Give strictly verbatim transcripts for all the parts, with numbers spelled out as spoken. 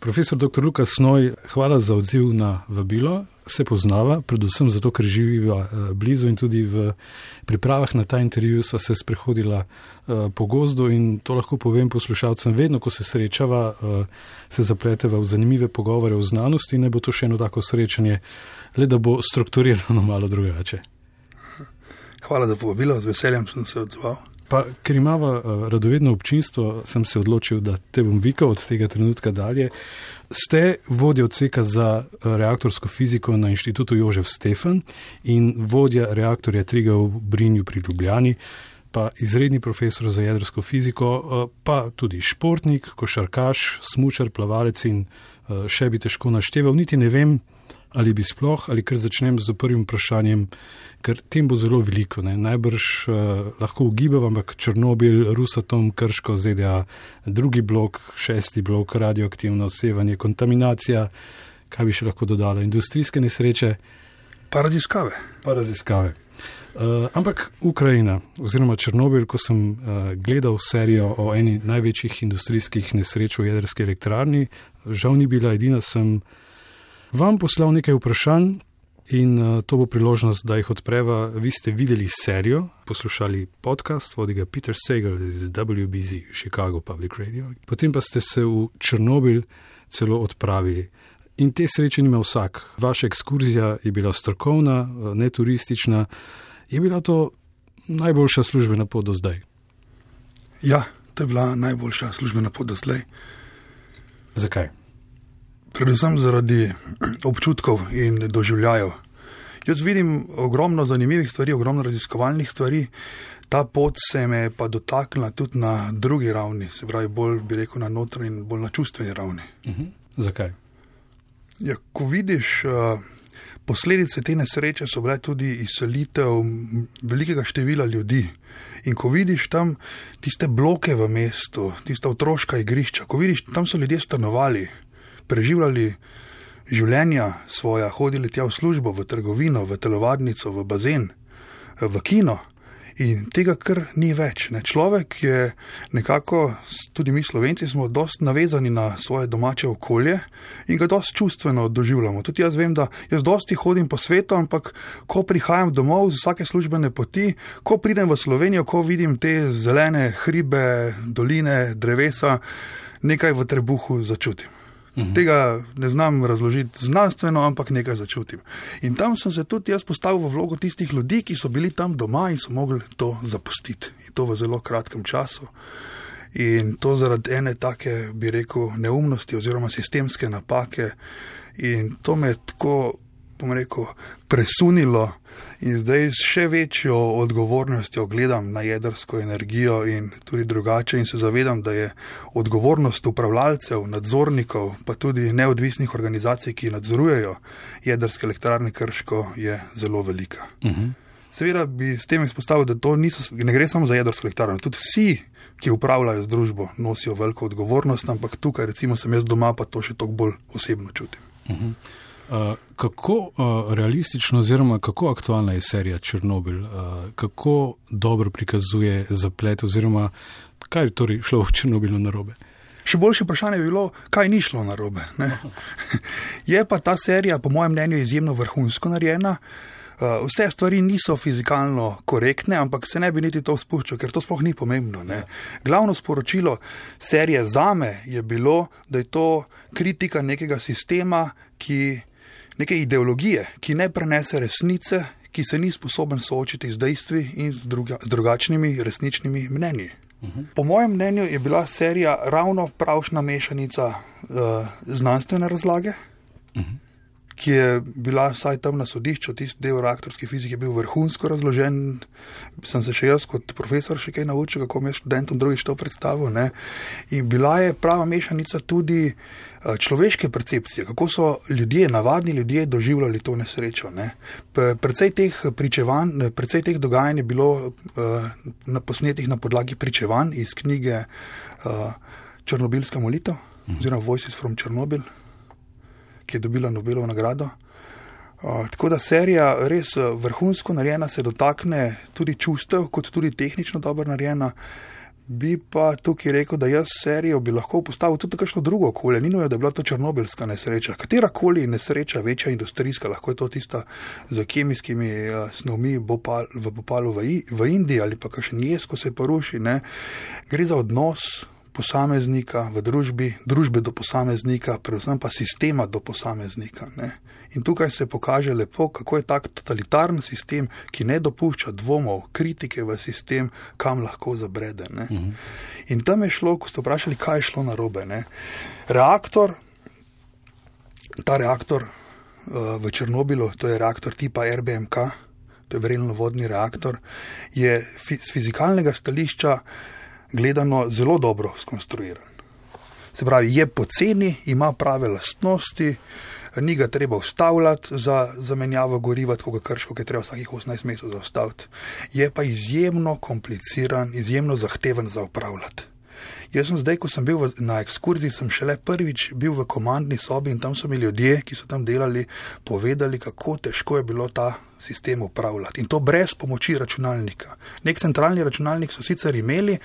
Profesor doktor Luka Snoj, hvala za odziv na vabilo. Se poznava, predvsem zato, ker živiva blizu in tudi v pripravah na ta intervju sva se sprehodila po gozdu in to lahko povem poslušalcem, vedno, ko se srečava, se zapleteva v zanimive pogovore o znanosti in ne bo to še eno tako srečanje, le da bo strukturirano malo drugače. Hvala za povabilo, z veseljem sem se odzval. Pa, ker imava radovedno občinstvo, sem se odločil, da te bom vikal od tega trenutka dalje. Ste vodja odseka za reaktorsko fiziko na Inštitutu Jožef Stefan in vodja reaktorja Triga v Brinju pri Ljubljani, pa izredni profesor za jedrsko fiziko, pa tudi športnik, košarkaš, smučar, plavalec in še bi težko našteval. Niti ne vem, ali bi sploh, ali kar začnem z prvim vprašanjem, ker tem bo zelo veliko. Ne? Najbrž uh, lahko ugibav, ampak Černobil, Rusatom, Krško, Z D A, drugi blok, šesti blok, radioaktivno sevanje, kontaminacija, kaj bi še lahko dodala, industrijske nesreče. Pa raziskave. Pa raziskave. Uh, ampak Ukrajina oziroma Černobil, ko sem uh, gledal serijo o eni največjih industrijskih nesreč v jedrski elektrarni, žal ni bila edina, sem vam poslal nekaj vprašanj in uh, to bo priložnost, da jih odpreva. Vi ste videli serijo, poslušali podcast, vodi ga Peter Sagal iz W B Z, Chicago Public Radio. Potem pa ste se v Černobil celo odpravili. In te sreče nima vsak. Vaša ekskurzija je bila strokovna, ne turistična. Je bila to najboljša službena pot do zdaj? Ja, to je bila najboljša službena pot do zdaj. Zakaj? Predvsem zaradi občutkov in doživljajev. Jaz vidim ogromno zanimivih stvari, ogromno raziskovalnih stvari. Ta pot se me pa dotaknila tudi na drugi ravni, se pravi bolj, bi rekel, na notranji in bolj na čustveni ravni. Uh-huh. Zakaj? Ja, ko vidiš, posledice te nesreče so bile tudi izselitev velikega števila ljudi. In ko vidiš tam tiste bloke v mestu, tista otroška igrišča, ko vidiš, tam so ljudje stanovali, preživljali življenja svoja, hodili tja v službo, v trgovino, v telovadnico, v bazen, v kino in tega kar ni več. Ne. Človek je nekako, tudi mi Slovenci smo dosti navezani na svoje domače okolje in ga dosti čustveno doživljamo. Tudi jaz vem, da jaz dosti hodim po svetu, ampak ko prihajam domov z vsake službene poti, ko pridem v Slovenijo, ko vidim te zelene hribe, doline, drevesa, nekaj v trebuhu začutim. Uhum. Tega ne znam razložiti znanstveno, ampak nekaj začutim. In tam sem se tudi jaz postavil v vlogo tistih ljudi, ki so bili tam doma in so mogli to zapustiti. In to v zelo kratkem času. In to zaradi ene take, bi rekel, neumnosti oziroma sistemske napake. In to me je tako, bom rekel, presunilo in zdaj s še večjo odgovornostjo gledam na jedrsko energijo in tudi drugače in se zavedam, da je odgovornost upravljalcev, nadzornikov, pa tudi neodvisnih organizacij, ki nadzorujejo jedrske elektrarne Krško, je zelo velika. Uh-huh. Seveda bi s tem izpostavil, da to niso, ne gre samo za jedrsko elektrarno, tudi vsi, ki upravljajo z družbo, nosijo veliko odgovornost, ampak tukaj recimo sem jaz doma, pa to še toliko bolj osebno čutim. Uh-huh. Uh, kako uh, realistično oziroma kako aktualna je serija Černobil? Uh, kako dobro prikazuje zaplet oziroma kaj je torej šlo v Černobilu narobe? Še boljše vprašanje je bilo, kaj ni šlo narobe. Ne? Je pa ta serija po mojem mnenju izjemno vrhunsko narejena. Uh, vse stvari niso fizikalno korektne, ampak se ne bi niti to spuščal, ker to sploh ni pomembno. Ne? Glavno sporočilo serije zame je bilo, da je to kritika nekega sistema, ki neke ideologije, ki ne prenese resnice, ki se ni sposoben soočiti z dejstvi in z, druga, z drugačnimi resničnimi mnenji. Uh-huh. Po mojem mnenju je bila serija ravno pravšna mešanica uh, znanstvene razlage, uh-huh. ki je bila vsaj tam na sodišču, tisti del reaktorske fizike je bil vrhunsko razložen, sem se še jaz kot profesor še kaj naučil, kako mi je študentom drugič to predstavil, ne? In bila je prava mešanica tudi človeške percepcije, kako so ljudje, navadni ljudje doživljali to nesrečo. Ne? Precej teh pričevanj, precej teh dogajanj je bilo uh, na posnetih na podlagi pričevanj iz knjige uh, Černobilska molitev, mhm. oziroma Voices from Chernobyl, ki je dobila Nobelovo nagrado. Uh, tako da serija res vrhunsko narejena, se dotakne tudi čustev, kot tudi tehnično dobro narejena. Bi pa tukaj rekel, da jaz serijo bi lahko postavil tudi kakšno drugo okolje. Ni nujno, da je bila to černobylska nesreča. Katerakoli nesreča, večja industrijska, lahko je to tista z kemijskimi uh, snovmi Bhopal, v Bhopalu v, v Indiji ali pa kakšen jez, ko se poruši. Ne? Gre za odnos posameznika v družbi, družbe do posameznika, predvsem pa sistema do posameznika. Ne? In tukaj se pokaže lepo, kako je tak totalitarni sistem, ki ne dopušča dvomov, kritike v sistem, kam lahko zabrede. Ne? Uh-huh. In tam je šlo, ko ste vprašali, kaj je šlo narobe. Ne? Reaktor, ta reaktor uh, v Černobilu, to je reaktor tipa R B M K, to je vrelno-vodni reaktor, je fi- z fizikalnega stališča gledano zelo dobro skonstruiran. Se pravi, je poceni, ima prave lastnosti, ni ga treba ustavljati za zamenjavo goriva, tako ga krško, ki je treba vsakih osemnajst mesecev zaustaviti. Je pa izjemno kompliciran, izjemno zahteven za upravljati. Jaz sem zdaj, ko sem bil v, na ekskurziji, sem šele prvič bil v komandni sobi in tam so mi ljudje, ki so tam delali, povedali, kako težko je bilo ta sistem upravljati. In to brez pomoči računalnika. Nek centralni računalnik so sicer imeli,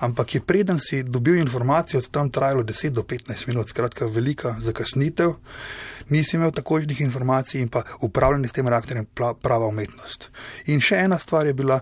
ampak je preden si dobil informacijo, od tam trajalo deset do petnajst minut, skratka velika zakasnitev. Nisi imel takošnih informacij in pa upravljanje s tem reaktorjem prava umetnost. In še ena stvar je bila,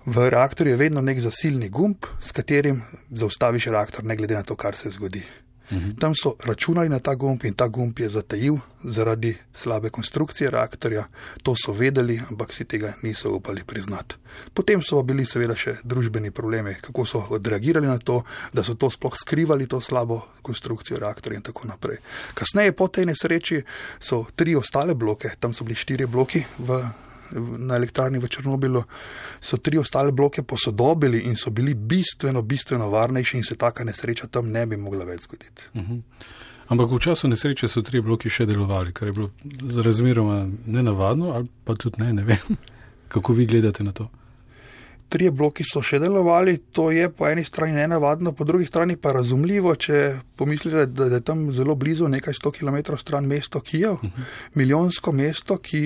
v reaktorju je vedno nek zasilni gumb, s katerim zaustaviš reaktor, ne glede na to, kar se zgodi. Mhm. Tam so računali na ta gumb in ta gumb je zatajil zaradi slabe konstrukcije reaktorja. To so vedeli, ampak si tega niso upali priznati. Potem so bili seveda še družbeni problemi, kako so odreagirali na to, da so to sploh skrivali, to slabo konstrukcijo reaktorja in tako naprej. Kasneje po tej nesreči so tri ostale bloke, tam so bili štiri bloki v na elektrarni v Černobilu, so tri ostale bloke posodobili in so bili bistveno, bistveno varnejši in se taka nesreča tam ne bi mogla več zgoditi. Uh-huh. Ampak v času nesreče so tri bloki še delovali, kar je bilo razmeroma nenavadno, ali pa tudi ne, ne vem, kako vi gledate na to. Trije bloki so še delovali, to je po eni strani nenavadno, po drugi strani pa razumljivo, če pomislite, da je tam zelo blizu, nekaj sto kilometrov stran mesto Kijev, uh-huh. milijonsko mesto, ki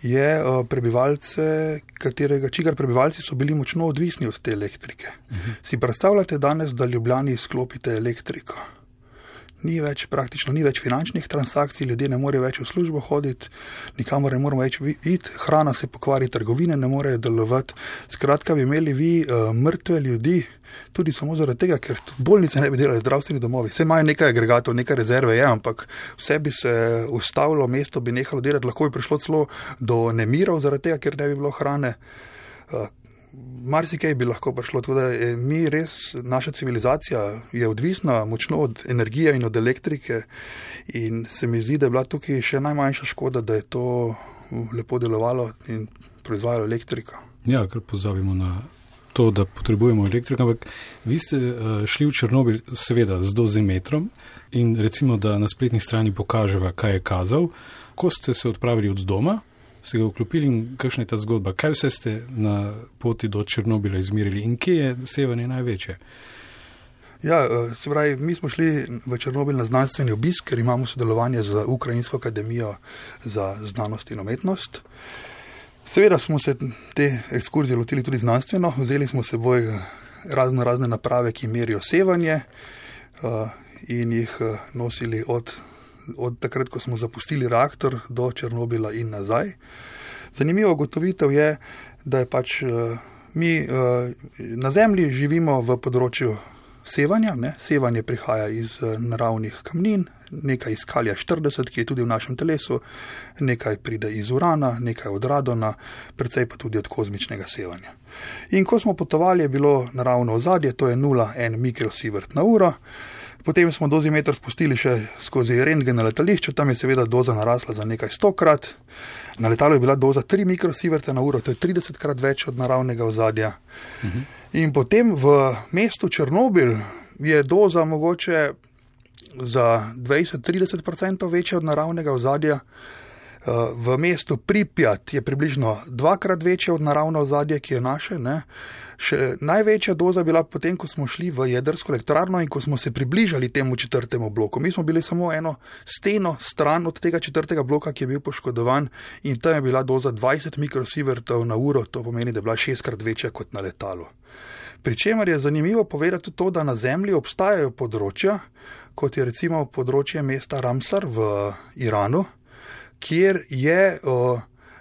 je prebivalce, katerega, čigar prebivalci so bili močno odvisni od te elektrike. Uh-huh. Si predstavljate danes, da Ljubljani izklopite elektriko? Ni več, praktično ni več finančnih transakcij, ljudje ne morejo več v službo hoditi, nikamor ne moramo več iti, hrana se pokvari, trgovine ne morejo delovati. Skratka, bi imeli vi uh, mrtve ljudi, tudi samo zaradi tega, ker bolnice ne bi delali, zdravstveni domovi. Vse imajo nekaj agregatov, nekaj rezerve je, ampak vse bi se ustavilo, mesto bi nehalo delati, lahko bi prišlo celo do nemirov zaradi tega, ker ne bi bilo hrane. Uh, Marsikaj bi lahko prišlo, tako da je mi res, naša civilizacija je odvisna močno od energije in od elektrike in se mi zdi, da je bila tukaj še najmanjša škoda, da je to lepo delovalo in proizvajalo elektriko. Ja, ker pozabimo na to, da potrebujemo elektriko, ampak vi ste šli v Černobil seveda z dozimetrom in recimo, da na spletni strani pokaževa, kaj je kazal, ko ste se odpravili od doma, se ga vklopili in kakšna je ta zgodba? Kaj vse ste na poti do Černobila izmerili in kje je sevanje največje? Ja, se pravi, mi smo šli v Černobil na znanstveni obisk, ker imamo sodelovanje z Ukrajinsko akademijo za znanost in umetnost. Seveda smo se te ekskurzije lotili tudi znanstveno, vzeli smo seboj razno razne naprave, ki merijo sevanje in jih nosili od od takrat, ko smo zapustili reaktor do Černobila in nazaj. Zanimivo ugotovitev je, da je pač uh, mi uh, na Zemlji živimo v področju sevanja, ne? Sevanje prihaja iz uh, naravnih kamnin, nekaj iz kalija štirideset, ki je tudi v našem telesu, nekaj pride iz urana, nekaj od radona, precej pa tudi od kozmičnega sevanja. In ko smo potovali, je bilo naravno ozadje, to je nula celih ena mikrosievert na uro. Potem smo dozimeter spustili še skozi rentgen na letališče, tam je seveda doza narasla za nekaj stokrat. Na letalu je bila doza tri mikrosieverte na uro, to je tridesetkrat več od naravnega ozadja. Uh-huh. In potem v mestu Černobil je doza mogoče za dvajset do trideset procentov večja od naravnega ozadja. V mestu Pripjat je približno dvakrat večja od naravno ozadje, ki je naše. Ne? Še največja doza bila potem, ko smo šli v jedrsko elektrarno in ko smo se približali temu četrtemu bloku. Mi smo bili samo eno steno stran od tega četrtega bloka, ki je bil poškodovan in tam je bila doza dvajset mikrosievertov na uro, to pomeni, da je bila šestkrat večja kot na letalu. Pričemer je zanimivo povedati tudi to, da na Zemlji obstajajo področja, kot je recimo področje mesta Ramsar v Iranu, kjer je o,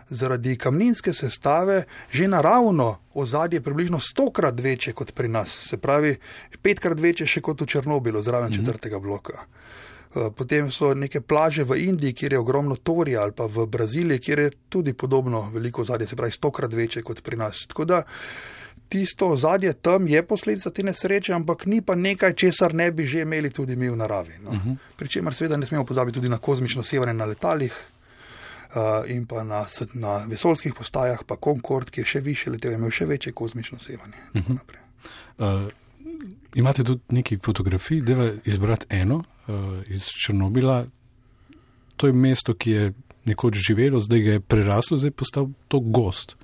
zaradi kamninske sestave že naravno ozadje približno stokrat večje kot pri nas, se pravi petkrat večje še kot v Černobilu, zraven mm-hmm. četrtega bloka. Potem so neke plaže v Indiji, kjer je ogromno torija, ali pa v Braziliji, kjer je tudi podobno veliko ozadje, se pravi stokrat večje kot pri nas. Tako da tisto ozadje tam je posledica te nesreče, ampak ni pa nekaj, česar ne bi že imeli tudi mi v naravi. No. Uh-huh. Pričemer seveda ne smemo pozabiti tudi na kozmično sevanje na letalih uh, in pa na, na vesoljskih postajah, pa Concorde, ki je še više letel, je imel še večje kozmično sevanje. Uh-huh. Uh, imate tudi nekaj fotografij, deva izbrati eno uh, iz Černobila. To je mesto, ki je nekoč živelo, zdaj ga je preraslo, zdaj postal to gost.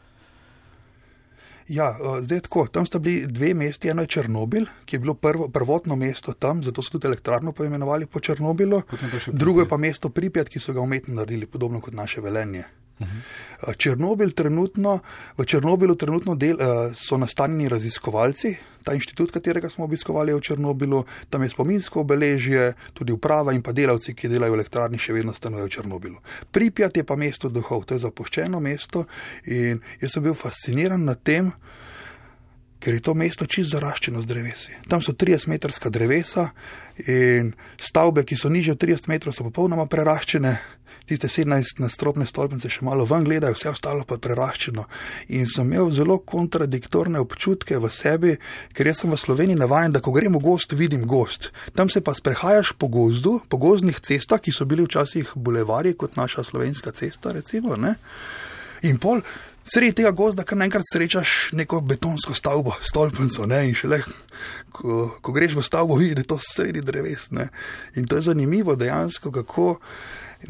Ja, zdaj tako, tam sta bili dve mesti, eno je Černobil, ki je bilo prvo, prvotno mesto tam, zato so tudi elektrarno poimenovali po Černobilu, drugo je pa mesto Pripjat, ki so ga umetno naredili, podobno kot naše Velenje. Uh-huh. Černobil trenutno, v Černobilu trenutno del, so nastanjeni raziskovalci, ta inštitut, katerega smo obiskovali v Černobilu, tam je spominsko obeležje, tudi uprava in pa delavci, ki delajo v elektrarni, še vedno stanujejo v Černobilu. Pripjat je pa mesto duhov, to je zapuščeno mesto in jaz sem bil fasciniran nad tem, ker je to mesto čisto zaraščeno z drevesi. Tam so tridesetmetrska drevesa in stavbe, ki so nižje od trideset metrov, so popolnoma preraščene. Tiste sedemnajstnadstropne stolpnice še malo ven gledajo, vse ostalo pa preraščeno. In sem imel zelo kontradiktorne občutke v sebi, ker jaz sem v Sloveniji navajen, da ko grem v gozd, vidim gozd. Tam se pa sprehajaš po gozdu, po gozdnih cestah, ki so bili včasih bulevarji, kot naša slovenska cesta, recimo, ne? In pol sredi tega gozda, kar naenkrat srečaš neko betonsko stavbo, stolpnico, ne? In šele, ko, ko greš v stavbo, vidiš, da je to sredi dreves, ne? In to je zanimivo dejansko, kako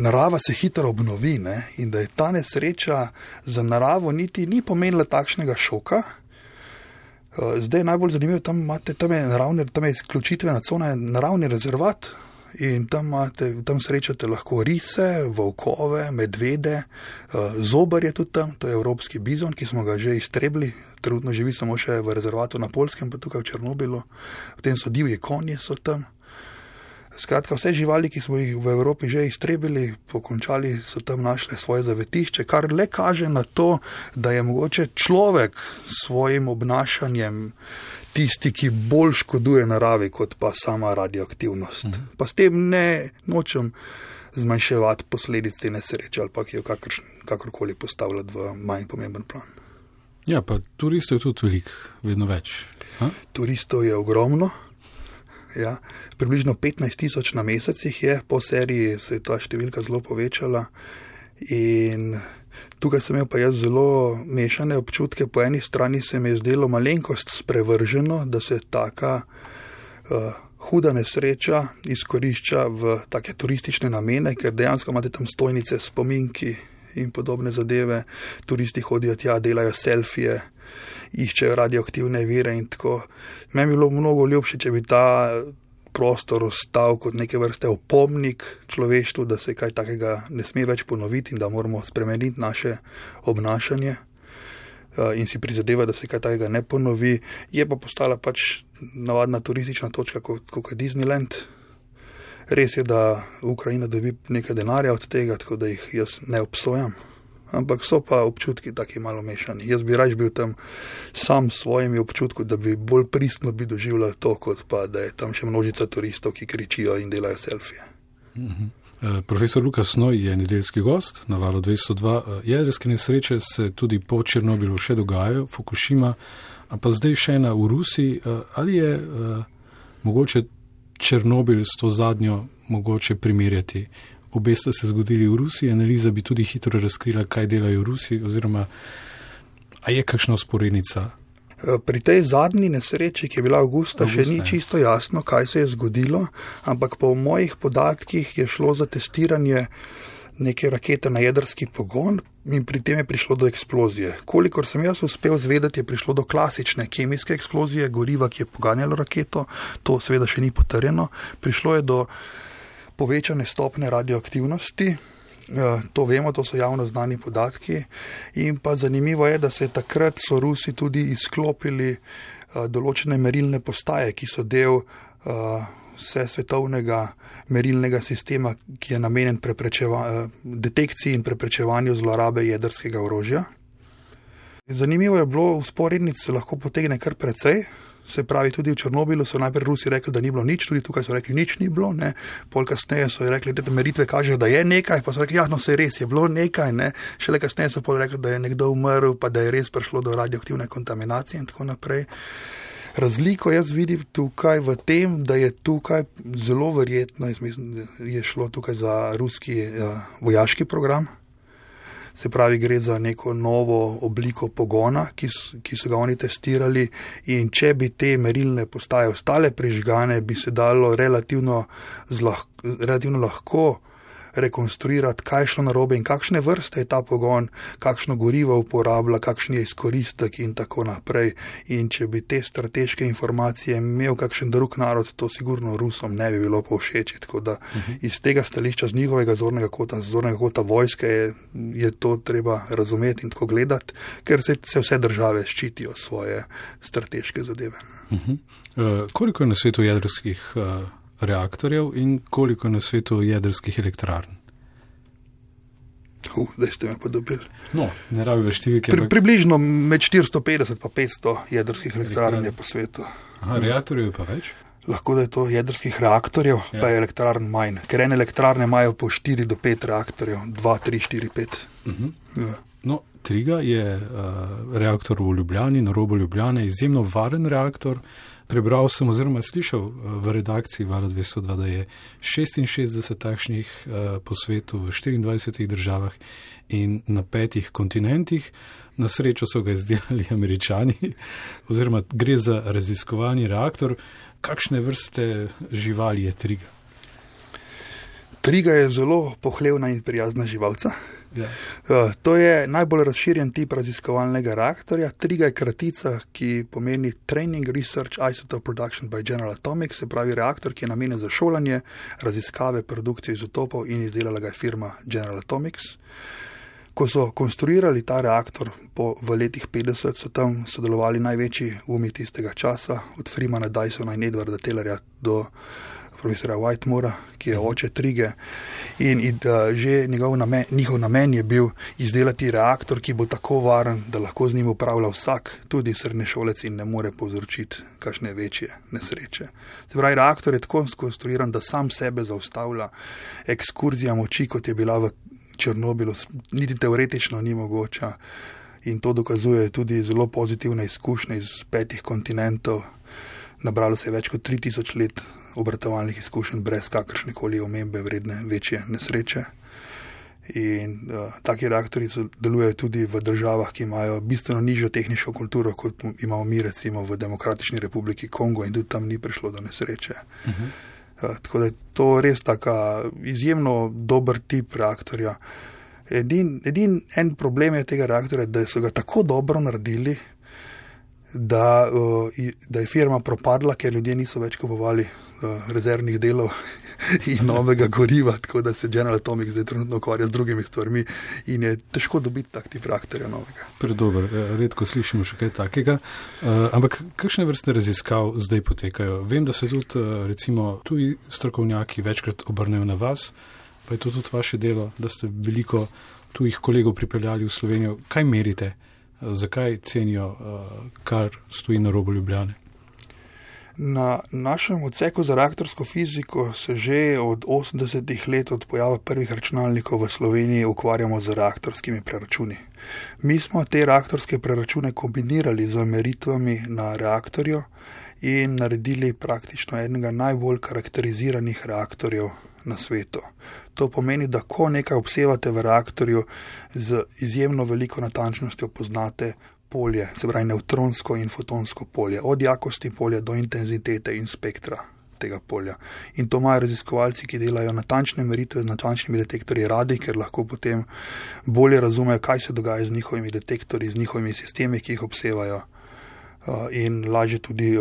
narava se hitro obnovi, ne? In da je ta nesreča za naravo niti ni pomenila takšnega šoka. Zdaj je najbolj zanimivo, tam, imate, tam je naravni, tam je izključitvena cona, naravni rezervat in tam, imate, tam srečate lahko rise, volkove, medvede, zobar je tudi tam, to je evropski bizon, ki smo ga že iztrebili, trenutno živi samo še v rezervatu na Poljskem, pa tukaj v Černobilu, potem so divji konji so tam. Skratka, vse živali, ki smo jih v Evropi že iztrebili, pokončali, so tam našle svoje zavetišče, kar le kaže na to, da je mogoče človek s svojim obnašanjem tisti, ki bolj škoduje naravi, kot pa sama radioaktivnost. Mhm. Pa s tem ne nočem zmanjševati posledic te nesreče ali pa ki jo kakor, kakorkoli postavljati v manj pomemben plan. Ja, pa turistov je tudi veliko, vedno več. Ha? Turistov je ogromno. Ja, približno petnajst tisoč na mesecih je, po seriji se je ta številka zelo povečala in tukaj sem imel pa jaz zelo mešane občutke. Po eni strani se mi je zdelo malenkost sprevrženo, da se taka uh, huda nesreča izkorišča v take turistične namene, ker dejansko imate tam stojnice, spominki in podobne zadeve, turisti hodijo tja, delajo selfije, iščejo radioaktivne vire in tako. Meni bi bilo mnogo ljubše, če bi ta prostor ostal kot neke vrste opomnik človeštvu, da se kaj takega ne sme več ponoviti in da moramo spremeniti naše obnašanje in si prizadeva, da se kaj takega ne ponovi. Je pa postala pač navadna turistična točka kot, kot Disneyland. Res je, da Ukrajina dobi nekaj denarja od tega, tako da jih jaz ne obsojam. Ampak so pa občutki taki malo mešani. Jaz bi raje bil tam sam s svojimi občutki, da bi bolj pristno bi doživljal to, kot pa da je tam še množica turistov, ki kričijo in delajo selfije. Uh-huh. Uh, profesor Lukas Noj je nedeljski gost na Valu dvesto dva. Uh, jedrske nesreče se tudi po Černobilu še dogajajo, Fukushima, a pa zdaj še ena v Rusiji. Uh, ali je uh, mogoče Černobil s to zadnjo mogoče primerjati? Obe sta se zgodili v Rusiji, analiza bi tudi hitro razkrila, kaj delajo v Rusiji, oziroma a je kakšna usporednica? Pri tej zadnji nesreči, ki je bila avgusta, Augusta, še ni čisto jasno, kaj se je zgodilo, ampak po mojih podatkih je šlo za testiranje neke rakete na jedrski pogon in pri tem je prišlo do eksplozije. Kolikor sem jaz uspel zvedeti, je prišlo do klasične kemijske eksplozije, goriva, ki je poganjalo raketo, to seveda še ni potrjeno. Prišlo je do povečane stopne radioaktivnosti To vemo, to so javno znani podatki. In pa zanimivo je, da se takrat so Rusi tudi izklopili določene merilne postaje, ki so del vse svetovnega merilnega sistema, ki je namenjen detekciji in preprečevanju zlorabe jedrskega orožja. Zanimivo je bilo, vzporednic se lahko potegne kar precej. Se pravi, tudi v Černobilu so najprej Rusi rekli, da ni bilo nič, tudi tukaj so rekli, nič ni bilo, ne. Pol kasneje so rekli, da meritve kažejo, da je nekaj, pa so rekli, ja, no, se res je bilo nekaj, ne. Šele kasneje so pol rekli, da je nekdo umrl, pa da je res prišlo do radioaktivne kontaminacije in tako naprej. Razliko jaz vidim tukaj v tem, da je tukaj zelo verjetno, jaz mislim, da je šlo tukaj za ruski uh, vojaški program. Se pravi, gre za neko novo obliko pogona, ki, ki so ga oni testirali, in če bi te merilne postaje ostale prižgane, bi se dalo relativno, zlah, relativno lahko rekonstruirati, kaj je šlo narobe in kakšne vrste je ta pogon, kakšno gorivo uporablja, kakšen je izkoristek in tako naprej. In če bi te strateške informacije imel kakšen drug narod, to sigurno Rusom ne bi bilo povšeči. Tako da uh-huh. iz tega stališča, z njihovega zornega kota, z zornega kota vojske je, je to treba razumeti in tako gledati, ker se, se vse države ščitijo svoje strateške zadeve. Uh-huh. Uh, koliko je na svetu jedrskih uh... reaktorjev in koliko na svetu jedrskih elektrarn? Uh, zdaj ste me pa dobili. No, ne rabi več številke. Pri, približno med štiristo petdeset pa petsto jedrskih elektrarn je po svetu. Aha, reaktorjev je pa več? Lahko da je to jedrskih reaktorjev, ja. Pa je elektrarn manj. Ker ene elektrarne imajo po štiri do pet reaktorjev, dva, tri, štiri, pet. Uh-huh. Ja. No, Triga je uh, reaktor v Ljubljani, na robu Ljubljane, izjemno varen reaktor. Prebral sem oziroma slišal v redakciji Vala dvesto dva, da je šestinšestdeset takšnih uh, po svetu v štiriindvajsetih državah in na petih kontinentih. Na srečo so ga izdelali Američani, oziroma gre za raziskovalni reaktor. Kakšne vrste živali je Triga? Triga je zelo pohlevna in prijazna živalca. Ja. Uh, to je najbolj razširjen tip raziskovalnega reaktorja. Triga je kratica, ki pomeni Training Research Isotope Production by General Atomics, se pravi reaktor, ki je namenjen za šolanje, raziskave, produkcijo izotopov, in izdelala ga je firma General Atomics. Ko so konstruirali ta reaktor po, v letih petdeset, so tam sodelovali največji umi tistega časa, od Freemana Dysona in Edwarda Taylorja do profesora Whitemora, ki je oče Trige, in, in uh, že njegov namen, njihov namen je bil izdelati reaktor, ki bo tako varen, da lahko z njim upravlja vsak, tudi srednješolec, in ne more povzročiti kakšne večje nesreče. Se pravi, reaktor je tako skonstruiran, da sam sebe zaustavlja. Ekskurzija moči, kot je bila v Černobilu, niti teoretično ni mogoča, in to dokazuje tudi zelo pozitivne izkušnje iz petih kontinentov. Nabralo se je več kot tri tisoč let obratovalnih izkušenj brez kakršnekoli omembe vredne večje nesreče. In uh, taki reaktori delujejo tudi v državah, ki imajo bistveno nižjo tehnično kulturo, kot imamo mi recimo v Demokratični republiki Kongo, in tudi tam ni prišlo do nesreče. Uh-huh. Uh, tako da je to res taka izjemno dober tip reaktorja. Edin, edin en problem je tega reaktorja, da so ga tako dobro naredili, da, uh, da je firma propadla, ker ljudje niso več kupovali uh, rezervnih delov in novega goriva, tako da se General Atomics zdaj trenutno ukvarja z drugimi stvarmi in je težko dobiti tak tip reaktorja novega. Predober, redko slišimo še kaj takega, uh, ampak kakšne vrste raziskav zdaj potekajo? Vem, da se tudi uh, recimo tuji strokovnjaki večkrat obrnejo na vas, pa je to tudi vaše delo, da ste veliko tujih kolegov pripeljali v Slovenijo. Kaj merite? Zakaj cenijo, kar stoji na robu Ljubljane? Na našem odseku za reaktorsko fiziko se že od osemdesetih let, od pojava prvih računalnikov v Sloveniji, ukvarjamo z reaktorskimi preračuni. Mi smo te reaktorske preračune kombinirali z meritvami na reaktorju in naredili praktično enega najbolj karakteriziranih reaktorjev na svetu. To pomeni, da ko nekaj obsevate v reaktorju, z izjemno veliko natančnostjo poznate polje, se pravi nevtronsko in fotonsko polje, od jakosti polja do intenzitete in spektra tega polja. In to imajo raziskovalci, ki delajo natančne meritve z natančnimi detektorji radi, ker lahko potem bolje razumejo, kaj se dogaja z njihovimi detektorji, z njihovimi sistemi, ki jih obsevajo, in lažje tudi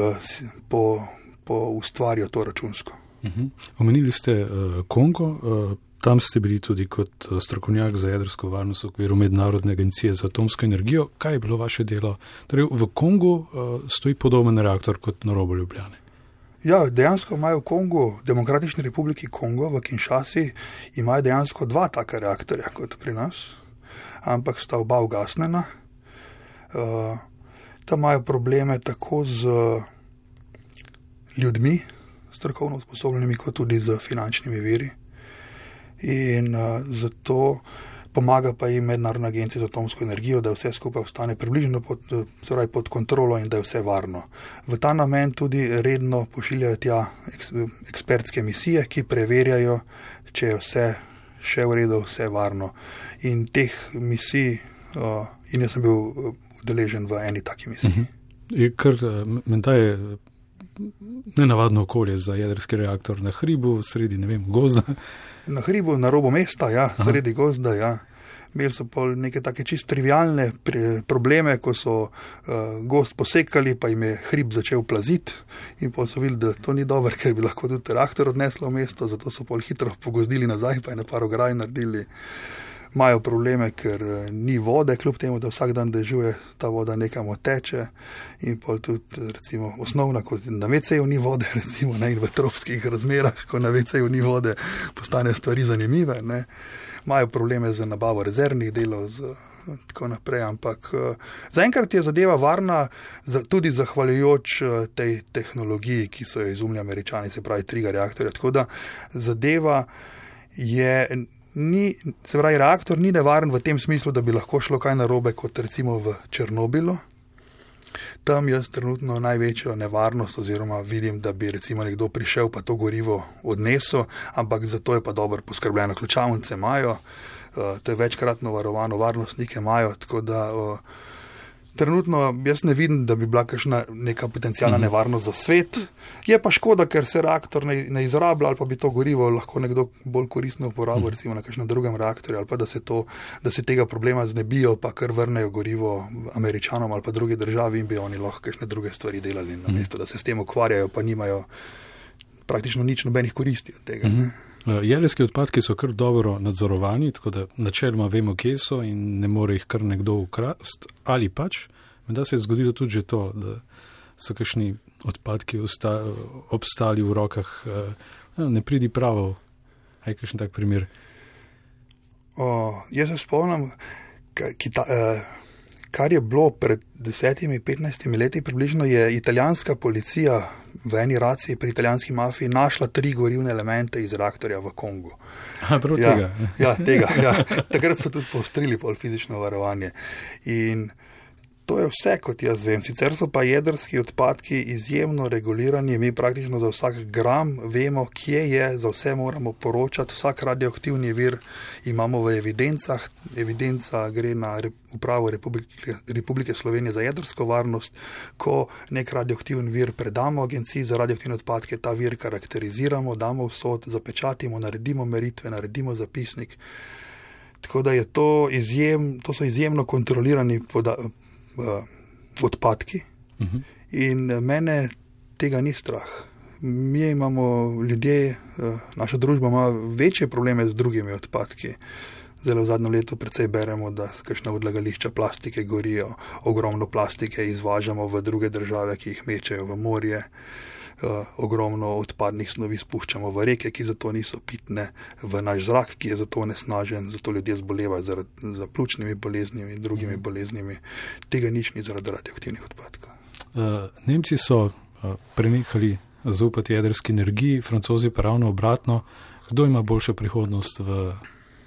po, po ustvarijo to računsko. Uh-huh. Omenili ste uh, Kongo, uh, Tam ste bili tudi kot strokovnjak za jedrsko varnost v okviru Mednarodne agencije za atomsko energijo. Kaj je bilo vaše delo? Torej, v Kongu uh, stoji podoben reaktor kot na robu Ljubljane. Ja, dejansko imajo v Kongu, Demokratični republiki Kongo, v Kinshasi, imajo dejansko dva taka reaktorja kot pri nas, ampak sta oba ugasnjena. Uh, tam imajo probleme tako z ljudmi, strokovno usposobljenimi, kot tudi z finančnimi viri. In uh, zato pomaga pa jim Mednarodna agencija za atomsko energijo, da vse skupaj ostane približno pod, torej pod kontrolo in da je vse varno. V ta namen tudi redno pošiljajo tja eks, ekspertske misije, ki preverjajo, če je vse še v redu, vse varno. In teh misij, uh, in jaz sem bil udeležen v eni taki misiji. Je kar, menda je nenavadno okolje za jedrski reaktor na hribu, sredi, ne vem, gozda. Na hribu, na robu mesta, ja, sredi Aha. gozda, ja. Imeli so pa neke take čist trivialne probleme, ko so uh, gozd posekali, pa jim je hrib začel plaziti in pa so videli, da to ni dobro, ker bi lahko tudi reaktor odneslo v mesto, zato so pol hitro pogozdili nazaj, pa je na par ograj naredili. Imajo probleme, ker ni vode, kljub temu, da vsak dan dežuje, ta voda nekam oteče in pol tudi, recimo, osnovna, kot na ve ceju ni vode, recimo, ne, in v tropskih razmerah, ko na ve ceju ni vode, postanejo stvari zanimive, ne. Imajo probleme z nabavo rezervnih delov, z tako naprej, ampak zaenkrat je zadeva varna tudi zahvaljujoč tej tehnologiji, ki so jo izumili Američani, se pravi triga reaktorja, tako da zadeva je... Ni, se pravi, reaktor ni nevaren v tem smislu, da bi lahko šlo kaj narobe, kot recimo v Černobilu. Tam jaz trenutno največjo nevarnost oziroma vidim, da bi recimo nekdo prišel pa to gorivo odnesel, ampak zato je pa dobro poskrbljeno. Ključavnice imajo, uh, to je večkratno varovano, varnostnike imajo, tako da uh, trenutno jaz ne vidim, da bi bila kakšna neka potencijalna nevarnost za svet. Je pa škoda, ker se reaktor ne, ne izrablja ali pa bi to gorivo lahko nekdo bolj koristno uporabil, recimo na kakšnem drugem reaktorju, ali pa da se, to, da se tega problema znebijo, pa kar vrnejo gorivo Američanom ali pa drugi državi in bi oni lahko kakšne druge stvari delali, namesto da se s tem ukvarjajo, pa nimajo praktično nič nobenih koristi od tega. Ne? Jedrski odpadki so kar dobro nadzorovani, tako da načeloma vemo, kje so in ne more jih kar nekdo ukrasti, ali pač, da se je zgodilo tudi že to, da so kakšni odpadki osta, obstali v rokah, ne pridi pravo. Je kakšen tak primer? O, jaz se spomnim, kita, kar je bilo pred desetimi, petnajstimi leti približno, je italijanska policija v eni raciji pri italijanski mafiji našla tri gorivne elemente iz reaktorja v Kongu. A, prav ja, tega. Ja, tega. Ja. Takrat so tudi poostrili pol fizično varovanje. In to je vse, kot jaz vem. Sicer so pa jedrski odpadki izjemno regulirani, mi praktično za vsak gram vemo, kje je, za vse moramo poročati, vsak radioaktivni vir imamo v evidencah, evidenca gre na Upravo Republike, Republike Slovenije za jedrsko varnost, ko nek radioaktivni vir predamo agenciji za radioaktivne odpadke, ta vir karakteriziramo, damo v sod, zapečatimo, naredimo meritve, naredimo zapisnik. Tako da je to izjem, to so izjemno kontrolirani podatki, Uh, odpadki uh-huh. in mene tega ni strah. Mi imamo ljudje, uh, naša družba ima večje probleme z drugimi odpadki. Zdaj v zadnjem letu precej beremo, da kakšna odlagališča plastike gorijo, ogromno plastike izvažamo v druge države, ki jih mečejo v morje. Uh, ogromno odpadnih snovi spuščamo v reke, ki zato niso pitne, v naš zrak, ki je zato onesnažen, zato ljudje zbolevajo zaradi za pljučnimi boleznimi in drugimi boleznimi. Tega nič ni zaradi radioaktivnih odpadkov. Uh, Nemci so uh, prenehali zaupati jedrski energiji, Francozi pa ravno obratno. Kdo ima boljšo prihodnost v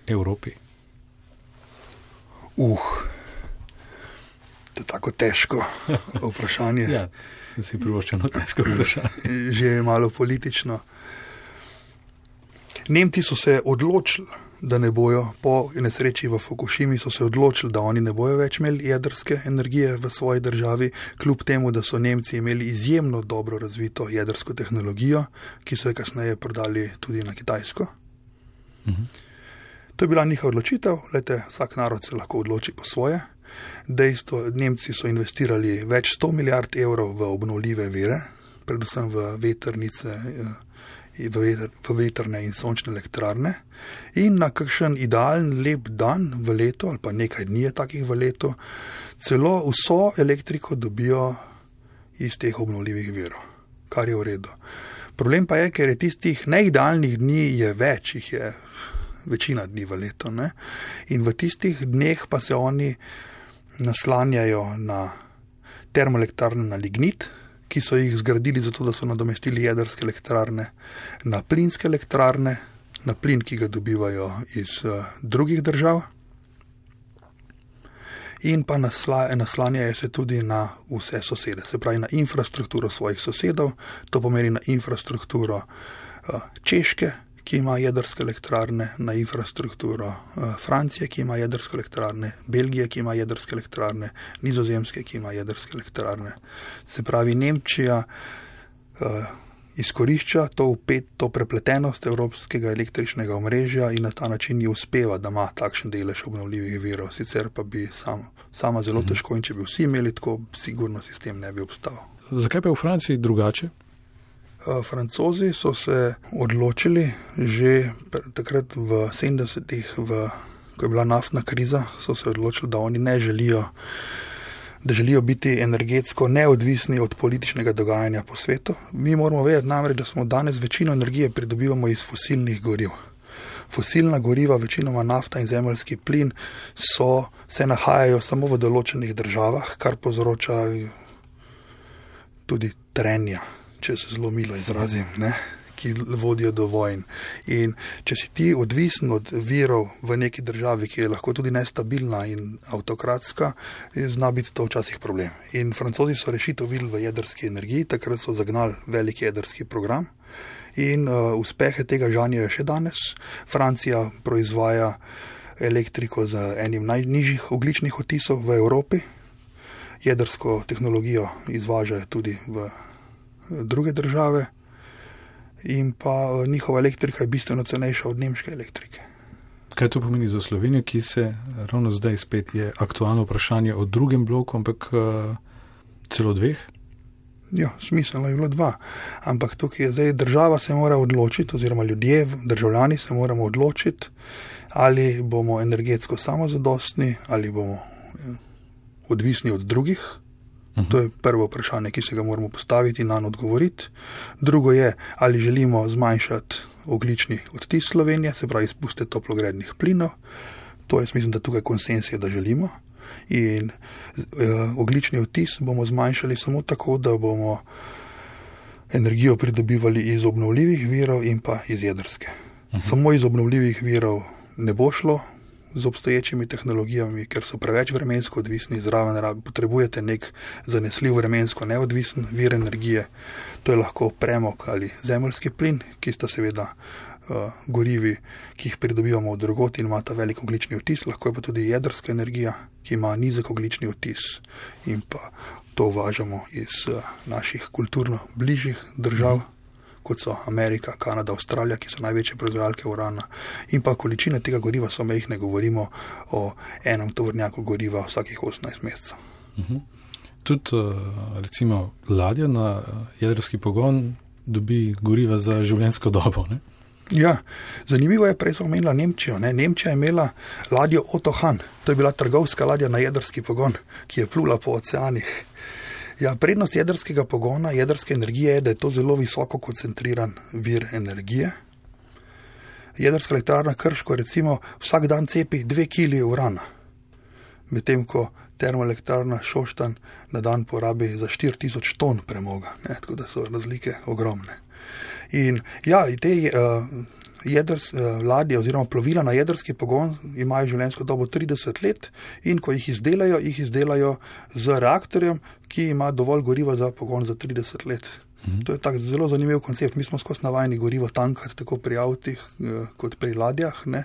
Evropi? Uh, to je tako težko vprašanje. Ja. Si privoščeno težko vprašanje. Že je malo politično. Nemci so se odločili, da ne bojo, po nesreči v Fukushimi so se odločili, da oni ne bojo več imeli jedrske energije v svoji državi, kljub temu, da so Nemci imeli izjemno dobro razvito jedrsko tehnologijo, ki so jo kasneje prodali tudi na Kitajsko. Uh-huh. To je bila njihova odločitev, lejte, vsak narod se lahko odloči po svoje. Dejstvo, Nemci so investirali več sto milijard evrov v obnovljive vire, predvsem v vetrnice v vetrne in sončne elektrarne in na kakšen idealen lep dan v letu ali pa nekaj dni je takih v letu, celo vso elektriko dobijo iz teh obnovljivih virov, kar je v redu. Problem pa je, ker je tistih neidealnih dni je več, jih je večina dni v letu. Ne? In v tistih dneh pa se oni naslanjajo na termoelektrarne na lignit, ki so jih zgradili zato, da so nadomestili jedrske elektrarne, na plinske elektrarne, na plin, ki ga dobivajo iz uh, drugih držav, in pa nasla, naslanjajo se tudi na vse sosede, se pravi na infrastrukturo svojih sosedov, to pomeni na infrastrukturo uh, Češke, ki ima jedrske elektrarne, na infrastrukturo uh, Francije, ki ima jedrske elektrarne, Belgije, ki ima jedrske elektrarne, Nizozemske, ki ima jedrske elektrarne. Se pravi, Nemčija uh, izkorišča to, upet, to prepletenost evropskega električnega omrežja in na ta način ji uspeva, da ima takšen delež obnovljivih virov. Sicer pa bi sam, sama zelo mhm. težko in če bi vsi imeli tako, sigurno sistem ne bi obstal. Zakaj pa je v Franciji drugače? Francozi so se odločili že takrat v sedemdesetih, v, ko je bila naftna kriza, so se odločili, da oni ne želijo, da želijo biti energetsko neodvisni od političnega dogajanja po svetu. Mi moramo vedeti namreč, da smo danes večino energije pridobivamo iz fosilnih goriv. Fosilna goriva, večinoma nafta in zemeljski plin, so, se nahajajo samo v določenih državah, kar povzroča tudi trenja, če se zelo milo izrazim, ne, ki vodijo do vojn. In če si ti odvisen od virov v neki državi, ki je lahko tudi nestabilna in avtokratska, zna biti to včasih problem. In Francozi so rešitev videli v jedrski energiji, takrat so zagnali velik jedrski program in uh, uspehe tega žanjejo še danes. Francija proizvaja elektriko z enim najnižjih ogljičnih odtisov v Evropi. Jedrsko tehnologijo izvažajo tudi v druge države in pa njihova elektrika je bistveno cenejša od nemške elektrike. Kaj to pomeni za Slovenijo, ki se ravno zdaj spet je aktualno vprašanje o drugem bloku, ampak uh, celo dveh? Ja, smiselno je bilo dva. Ampak tukaj je zdaj država se mora odločiti, oziroma ljudje, državljani se moramo odločiti, ali bomo energetsko samozadostni, ali bomo odvisni od drugih. To je prvo vprašanje, ki se ga moramo postaviti in nanj odgovoriti. Drugo je, ali želimo zmanjšati ogljični odtis Slovenije, se pravi izpuste toplogrednih plinov. To je, mislim, da tukaj konsens je, da želimo. In uh, ogljični odtis bomo zmanjšali samo tako, da bomo energijo pridobivali iz obnovljivih virov in pa iz jedrske. Uh-huh. Samo iz obnovljivih virov ne bo šlo z obstoječimi tehnologijami, ker so preveč vremensko odvisni, zraven potrebujete nek zanesljiv vremensko neodvisen vir energije. To je lahko premog ali zemeljski plin, ki sta seveda uh, gorivi, ki jih pridobivamo od drugot in imata velik ogljični odtis, lahko je pa tudi jedrska energija, ki ima nizek ogljični odtis in pa to uvažamo iz uh, naših kulturno bližjih držav, mm. kot so Amerika, Kanada, Avstralija, ki so največje proizvajalke urana. In pa količine tega goriva so mejhne, govorimo o enem tovornjaku goriva vsakih osemnajst mesecev. Uh-huh. Tudi recimo ladja na jedrski pogon dobi goriva za življenjsko dobo, ne? Ja, zanimivo je, prej smo omenila Nemčijo. Ne? Nemčija je imela ladjo Otto Hahn, to je bila trgovska ladja na jedrski pogon, ki je plula po oceanih. Ja, prednost jedrskega pogona, jedrske energije je, da je to zelo visoko koncentriran vir energije. Jedrska elektrarna Krško recimo vsak dan cepi dve kili urana, medtem ko termoelektrarna Šoštanj na dan porabi za štiri tisoč ton premoga, ne? Tako da so razlike ogromne. In ja, te uh, jedrs, uh, ladje oziroma plovila na jedrski pogon imajo življenjsko dobo trideset let in ko jih izdelajo, jih izdelajo z reaktorjem, ki ima dovolj goriva za pogon za trideset let. Mhm. To je tak zelo zanimiv koncept. Mi smo skozi navajeni gorivo tankati tako pri avtih uh, kot pri ladjah, ne.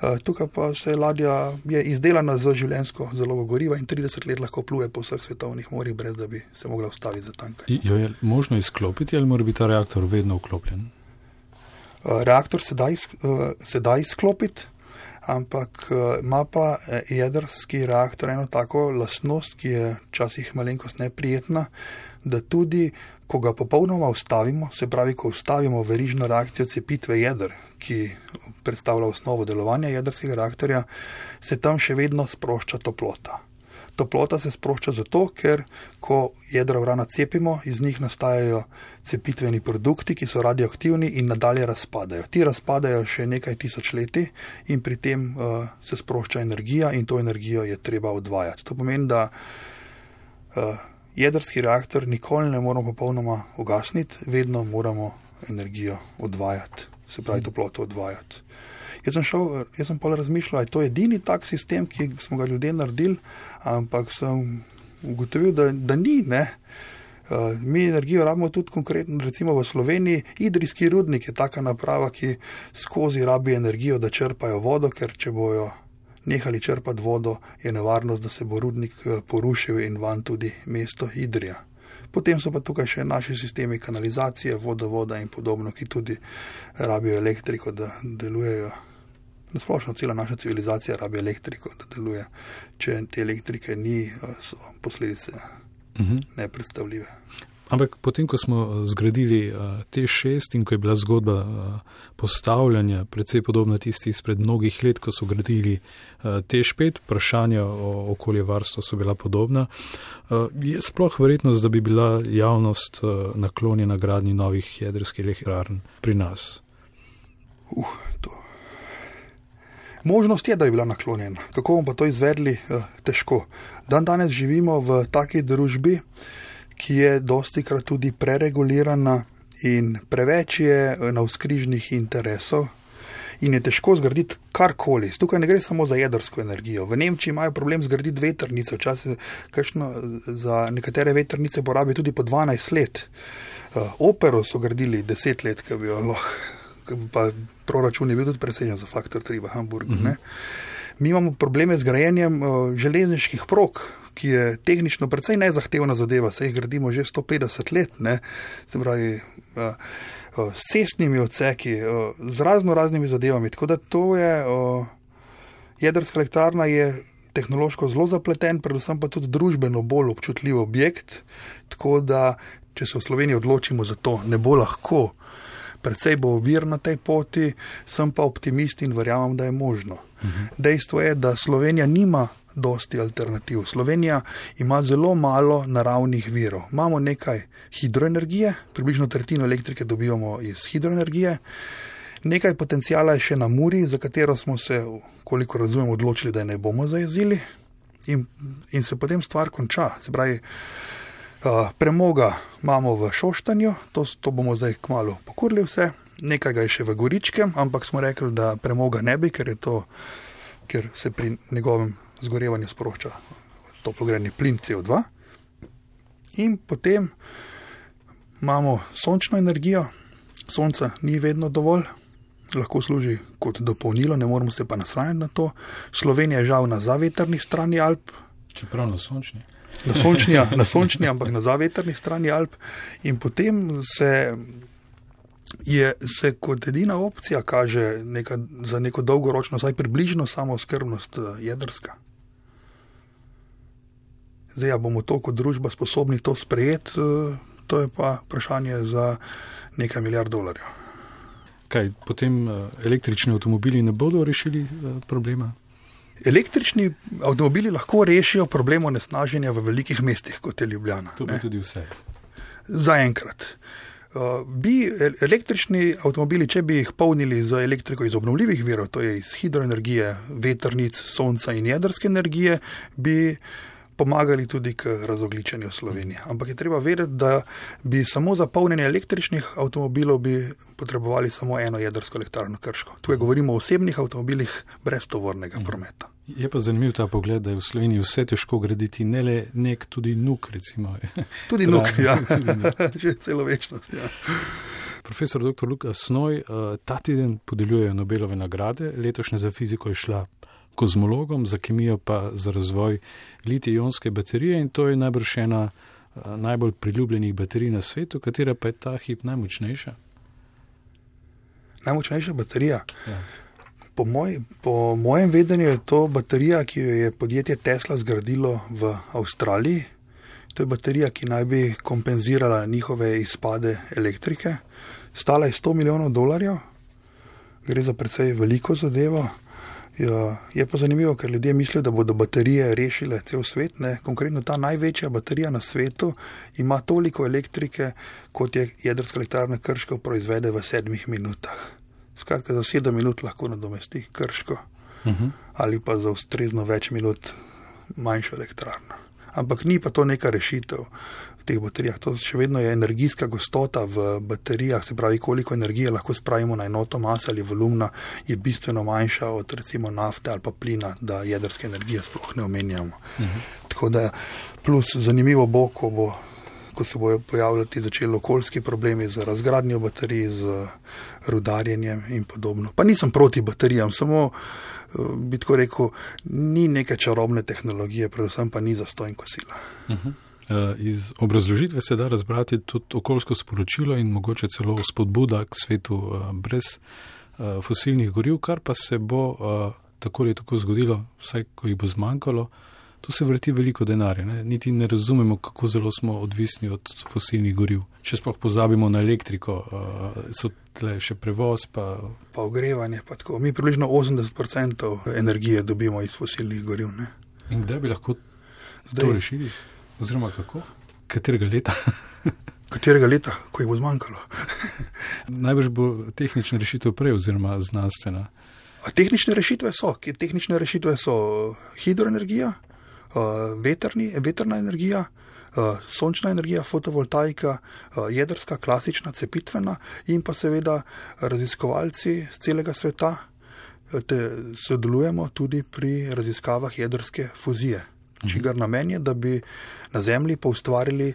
Uh, tukaj pa se ladja je izdelana za življenjsko zalogo goriva in trideset let lahko pluje po vseh svetovnih morjih, brez da bi se mogla ustaviti za tankanje. Jo je možno izklopiti ali mora biti ta reaktor vedno vklopljen? Uh, reaktor se da, iz, uh, se da izklopiti, ampak uh, ima pa jedrski reaktor eno tako lastnost, ki je včasih malenkost neprijetna, da tudi, ko ga popolnoma ustavimo, se pravi, ko ustavimo verižno reakcijo cepitve jeder, ki predstavlja osnovo delovanja jedrskega reaktorja, se tam še vedno sprošča toplota. Toplota se sprošča zato, ker ko jedra urana cepimo, iz njih nastajajo cepitveni produkti, ki so radioaktivni in nadalje razpadajo. Ti razpadajo še nekaj tisoč leti in pri tem uh, se sprošča energija in to energijo je treba odvajati. To pomeni, da uh, jedrski reaktor nikoli ne moramo popolnoma ugasniti, vedno moramo energijo odvajati, se pravi toploto odvajati. Jaz sem, šel, jaz sem pol razmišljal, je to edini tak sistem, ki smo ga ljudje naredili, ampak sem ugotovil, da, da ni, ne. Uh, mi energijo rabimo tudi konkretno, recimo v Sloveniji, idrijski rudnik je taka naprava, ki skozi rabi energijo, da črpajo vodo, ker če bojo nehali črpati vodo, je nevarnost, da se bo rudnik porušil in van tudi mesto Idrija. Potem so pa tukaj še naši sistemi kanalizacije, vodovoda in podobno, ki tudi rabijo elektriko, da delujejo. Nasplošno cela naša civilizacija rabi elektriko, da deluje. Če te elektrike ni, so posledice uh-huh. nepredstavljive. Ampak potem, ko smo zgradili uh, T šest in ko je bila zgodba uh, postavljanja precej podobna tisti izpred mnogih let, ko so gradili uh, T pet, vprašanja o okoljevarstvu so bila podobna, uh, je sploh verjetnost, da bi bila javnost uh, naklonjena gradnji novih jedrskih elektrarn pri nas? Uh, to. Možnost je, da je bila naklonjena. Kako bomo pa to izvedli? Uh, težko. Dan danes živimo v taki družbi, ki je dostikrat tudi preregulirana in preveč je navzkrižnih interesov in je težko zgraditi karkoli. Tukaj ne gre samo za jedrsko energijo. V Nemčiji imajo problem zgraditi vetrnice. Včasih kakšno za nekatere vetrnice porabi tudi po dvanajst let. Opero so gradili deset let, ki bi jo lahko, pa proračun je bil tudi presežen za faktor tri v Hamburgu. Mm-hmm. Ne? Mi imamo probleme z grajenjem železniških prog, ki je tehnično precej nezahtevna zadeva, se jih gradimo že sto petdeset let, ne, se pravi, s cestnimi odseki, z razno raznimi zadevami, tako da to je, jedrska elektrarna je tehnološko zelo zapleten, predvsem pa tudi družbeno bolj občutljiv objekt, tako da, če se v Sloveniji odločimo za to, ne bo lahko, precej bo ovir na tej poti, sem pa optimist in verjamem, da je možno. Mhm. Dejstvo je, da Slovenija nima dosti alternativ. Slovenija ima zelo malo naravnih virov. Imamo nekaj hidroenergije, približno tretjino elektrike dobivamo iz hidroenergije, nekaj potencijala je še na Muri, za katero smo se, koliko razumem, odločili, da je ne bomo zajezili in, in se potem stvar konča. Se pravi, uh, premoga imamo v Šoštanju, to, to bomo zdaj kmalu pokurili vse, nekaj ga je še v Goričkem, ampak smo rekli, da premoga ne bi, ker je to, ker se pri njegovem zgorevanju sprošča toplogredni plin C O dva in potem imamo sončno energijo. Sonca ni vedno dovolj, lahko služi kot dopolnilo, ne moramo se pa nasranjati na to. Slovenija je žal na zavetrni strani Alp. Čeprav na sončni. Na sončni, na sončni, ampak na zavetrni strani Alp in potem se je se kot edina opcija kaže neka, za neko dolgoročno, saj približno samooskrbnost jedrska. Zdaj, ja, bomo to kot družba sposobni to sprejeti, to je pa vprašanje za nekaj milijard dolarjev. Kaj, potem električni avtomobili ne bodo rešili problema? Električni avtomobili lahko rešijo problem onesnaženja v velikih mestih, kot je Ljubljana. To bi tudi vse. Zaenkrat. Uh, bi električni avtomobili, če bi jih polnili z elektriko iz obnovljivih virov, to je iz hidroenergije, vetrnic, sonca in jedrske energije, bi pomagali tudi k razogličenju Slovenije. Ampak je treba vedeti, da bi samo za polnjenje električnih avtomobilov bi potrebovali samo eno jedrsko elektrarno Krško. Tu govorimo o osebnih avtomobilih brez tovornega prometa. Je pa zanimiv ta pogled, da je v Sloveniji vse težko graditi, ne le nek, tudi nuk, recimo. Tudi nuk, ja. Že celo večnost, ja. Profesor doktor Luka Snoj, ta teden podeljujejo Nobelove nagrade, letošnja za fiziko je šla kozmologom, za kemijo pa za razvoj litij-ionske baterije in to je najbrž ena najbolj priljubljenih baterij na svetu, katera pa je ta hip najmočnejša? Najmočnejša baterija? Ja. Po, moj, po mojem vedenju je to baterija, ki jo je podjetje Tesla zgradilo v Avstraliji. To je baterija, ki naj bi kompenzirala njihove izpade elektrike. Stala je sto milijonov dolarjev, gre za precej veliko zadevo. Ja, je pa zanimivo, ker ljudje mislijo, da bodo baterije rešile cel svet. Ne? Konkretno ta največja baterija na svetu ima toliko elektrike, kot je jedrska elektrarna Krško proizvede v sedmih minutah. Skratka, za sedem minut lahko nadomesti Krško uh-huh. ali pa za ustrezno več minut manjšo elektrarno. Ampak ni pa to neka rešitev v teh baterijah. To še vedno je energijska gostota v baterijah, se pravi, koliko energije lahko spravimo na enoto mase ali volumna, je bistveno manjša od recimo nafte ali pa plina, da jedrske energije sploh ne omenjamo. Uh-huh. Tako da plus zanimivo bo, ko bo ko se bojo pojavljati začeli okoljski problemi z razgradnjo baterij, z rudarjenjem in podobno. Pa nisem proti baterijam, samo bi tako rekel, ni neke čarobne tehnologije, predvsem pa ni zastonj kosila. Uh-huh. Iz obrazložitve se da razbrati tudi okoljsko sporočilo in mogoče celo spodbuda k svetu brez fosilnih goriv, kar pa se bo tako ali tako zgodilo, vsaj ko jih bo zmanjkalo. Tu se vrti veliko denarja, ne? Niti ne razumemo, kako zelo smo odvisni od fosilnih goriv. Če sploh pozabimo na elektriko, so tle še prevoz, pa... Pa ogrevanje, pa tako. Mi približno osemdeset procentov energije dobimo iz fosilnih goriv, ne? In kdaj bi lahko Zdaj, to rešili? Oziroma kako? Katerega leta? Katerega leta, ko jih bo zmanjkalo? Najbrž bo tehnična rešitev prej, oziroma znanstvena. A tehnične rešitve so. Tehnične rešitve so hidroenergija, veterni, veterna energija, sončna energija, fotovoltaika, jedrska, klasična, cepitvena in pa seveda raziskovalci z celega sveta te sodelujemo tudi pri raziskavah jedrske fuzije. Čigar namen je, da bi na Zemlji poustvarili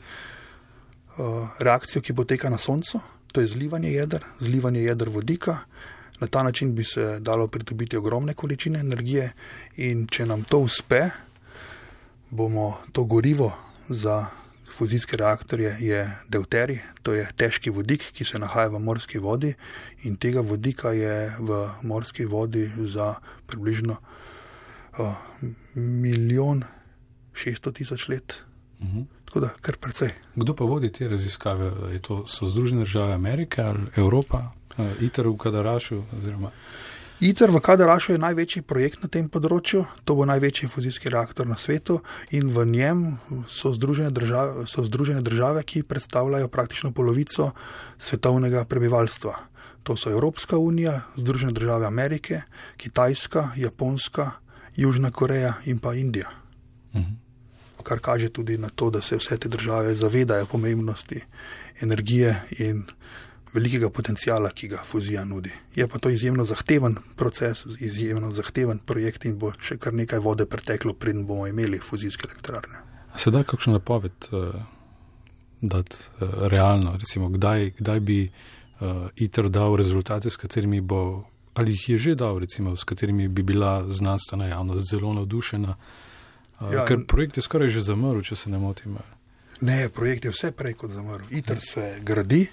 reakcijo, ki poteka na Soncu, to je zlivanje jeder, zlivanje jeder vodika. Na ta način bi se dalo pridobiti ogromne količine energije in če nam to uspe, bomo to gorivo za fuzijske reaktorje je deuterij, to je težki vodik, ki se nahaja v morski vodi in tega vodika je v morski vodi za približno uh, milijon šeststo tisoč let. Uh-huh. Tako da, kar precej. Kdo pa vodi te raziskave? Je to, so Združene države Amerike ali Evropa? Uh, ITER v Kadarašu? Oziroma... ITER v Kadarašu je največji projekt na tem področju, to bo največji fuzijski reaktor na svetu in v njem so združene države, so združene države, ki predstavljajo praktično polovico svetovnega prebivalstva. To so Evropska unija, Združene države Amerike, Kitajska, Japonska, Južna Koreja in pa Indija. Uh-huh. Kar kaže tudi na to, da se vse te države zavedajo pomembnosti energije in velikega potencijala, ki ga fuzija nudi. Je pa to izjemno zahteven proces, izjemno zahteven projekt in bo še kar nekaj vode preteklo, preden bomo imeli fuzijske elektrarne. A se da kakšno napoved uh, dati uh, realno? Recimo, kdaj, kdaj bi uh, ITER dal rezultate, s katerimi bo, ali jih je že dal, recimo, s katerimi bi bila znanstvena javnost zelo navdušena? Uh, ja, ker projekt je skoraj že zamrl, če se ne motim. Ne, projekt je vse prej kot zamrl. ITER se gradi.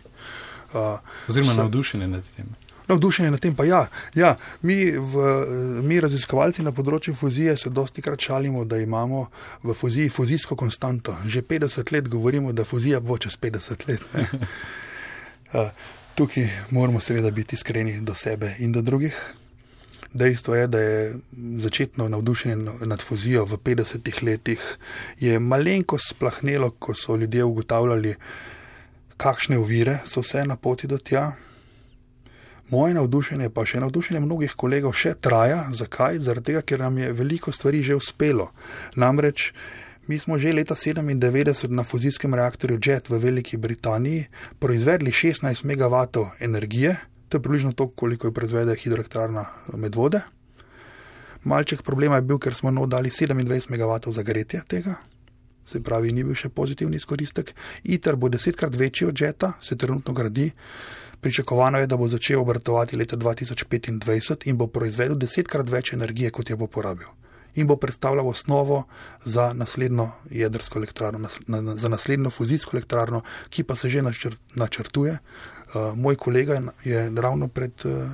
Uh, Oziroma navdušenje nad tem. Navdušenje nad tem pa ja. ja mi, v, mi raziskovalci na področju fuzije se dosti krat šalimo, da imamo v fuziji fuzijsko konstanto. Že petdeset let govorimo, da fuzija bo čez petdeset let. uh, tukaj moramo seveda biti iskreni do sebe in do drugih. Dejstvo je, da je začetno navdušenje nad fuzijo v petdesetih letih je malenkost splahnelo, ko so ljudje ugotavljali, kakšne ovire so vse na poti do tja. Moje navdušenje, pa še navdušenje mnogih kolegov še traja. Zakaj? Zaradi tega, ker nam je veliko stvari že uspelo. Namreč, mi smo že leta sedemindevetdeset na fuzijskem reaktorju Jet v Veliki Britaniji proizvedli šestnajst megavatov energije, to je približno to, koliko jo proizvede hidroelektrarna Medvode. Malček problema je bil, ker smo no dali sedemindvajset megavatov za gretje tega. Se pravi, ni bil še pozitivni izkoristek. ITER bo desetkrat večji od Jeta, se trenutno gradi. Pričakovano je, da bo začel obratovati leta dva tisoč petindvajset in bo proizvedel desetkrat več energije, kot je bo porabil. In bo predstavljal osnovo za naslednjo jedrsko elektrarno, za naslednjo fuzijsko elektrarno, ki pa se že načrtuje. Uh, moj kolega je ravno pred uh,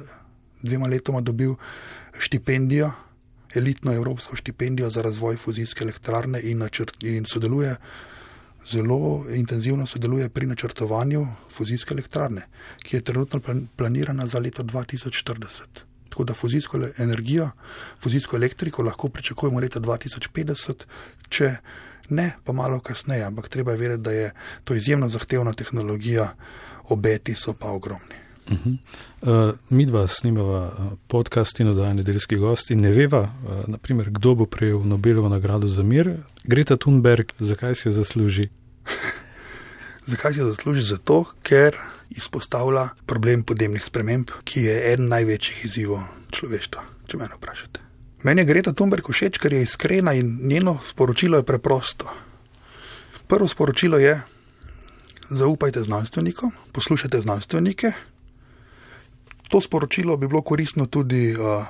dvema letoma dobil štipendijo, elitno evropsko štipendijo za razvoj fuzijske elektrarne in, načrt, in sodeluje zelo intenzivno sodeluje pri načrtovanju fuzijske elektrarne, ki je trenutno planirana za leto dva tisoč štirideset. Tako da fuzijsko energijo, fuzijsko elektriko lahko pričakujemo leta dva tisoč petdeset, če ne, pa malo kasneje, ampak treba je vedeti, da je to izjemno zahtevna tehnologija, obeti so pa ogromni. Uh-huh. Uh, mi dva snimava podcast in oddaja Nedeljski gosti. Ne veva, uh, naprimer, kdo bo prejel Nobelovo nagrado za mir. Greta Thunberg, zakaj si jo zasluži? Zakaj si jo zasluži? Zato, ker izpostavlja problem podnebnih sprememb, ki je eden največjih izzivov človeštva, če mene vprašate. Meni je Greta Thunberg všeč, ker je iskrena in njeno sporočilo je preprosto. Prvo sporočilo je: zaupajte znanstvenikom, poslušajte znanstvenike. To sporočilo bi bilo koristno tudi uh,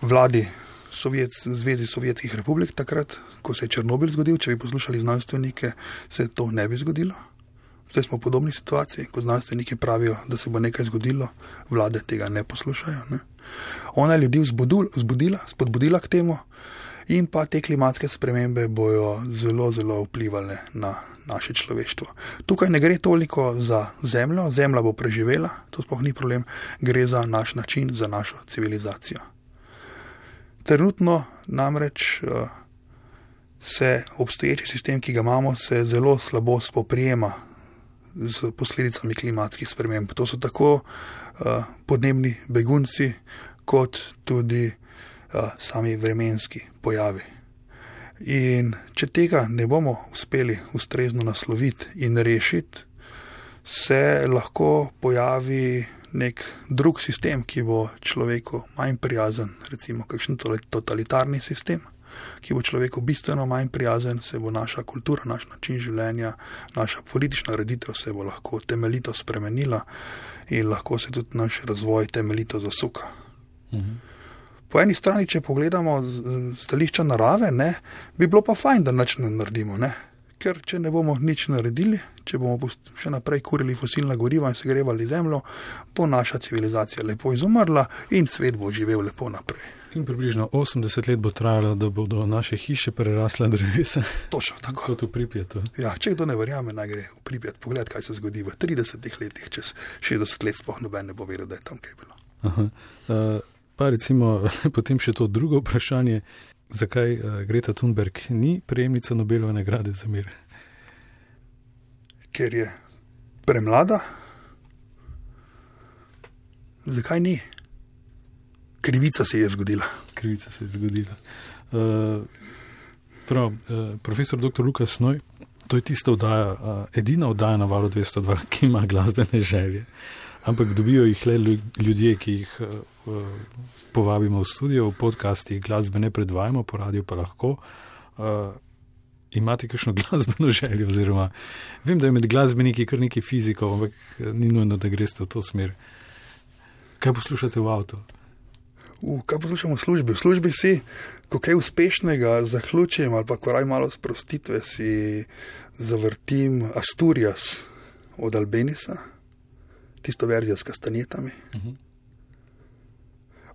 vladi Sovjet, Zvezi Sovjetskih republik takrat, ko se je Černobil zgodil. Če bi poslušali znanstvenike, se to ne bi zgodilo. Zdaj smo v podobni situaciji, ko znanstveniki pravijo, da se bo nekaj zgodilo, vlade tega ne poslušajo. Ne? Ona je ljudi vzbudila, vzbudila, spodbudila k temu in pa te klimatske spremembe bojo zelo, zelo vplivali na naše človeštvo. Tukaj ne gre toliko za zemljo, zemlja bo preživela, to sploh ni problem, gre za naš način, za našo civilizacijo. Trenutno namreč uh, se obstoječi sistem, ki ga imamo, se zelo slabo spoprijema z posledicami klimatskih sprememb. To so tako uh, podnebni begunci, kot tudi uh, sami vremenski pojavi. In če tega ne bomo uspeli ustrezno nasloviti in rešiti, se lahko pojavi nek drug sistem, ki bo človeku manj prijazen, recimo kakšen totalitarni sistem, ki bo človeku bistveno manj prijazen, se bo naša kultura, naš način življenja, naša politična ureditev se bo lahko temeljito spremenila in lahko se tudi naš razvoj temeljito zasuka. Mhm. Po eni strani, če pogledamo stališča narave, ne, bi bilo pa fajn, da nič ne naredimo, ne? Ker če ne bomo nič naredili, če bomo še naprej kurili fosilna goriva in segrevali zemljo, bo naša civilizacija lepo izumrla in svet bo živel lepo naprej. In približno osemdeset let bo trajalo, da bodo naše hiše prerasle drevesa. Točno tako. Kot v Pripjatu. Ja, če kdo ne verjame, naj gre v Pripjat pogled, kaj se zgodi v tridesetih letih, čez šestdeset let sploh noben ne bo vedel, da je tam kaj bilo. Aha. Uh, pa recimo potem še to drugo vprašanje, zakaj uh, Greta Thunberg ni prejemnica Nobelove nagrade za mir? Ker je premlada. Zakaj ni? Krivica se je zgodila. Krivica se je zgodila. Uh, prav, uh, profesor doktor Lukas Noj, to je tista oddaja, uh, edina oddaja na Valu dvesto dva, ki ima glasbene želje. Ampak dobijo jih le ljudje, ki jih uh, povabimo v studio, v podcastih glasbe ne predvajamo, po radiju pa lahko. Uh, imate kakšno glasbeno željo? Oziroma, vem, da je med glasbeniki kar nekaj fizikov, ampak ni nujno, da greste v to smer. Kaj poslušate v avtu? V, kaj poslušamo v službi? V službi si, ko kaj uspešnega zaključim ali pa ko raj malo sprostitve, si zavrtim Asturias od Albenisa, tisto verzijo s kastanjetami. Uh-huh.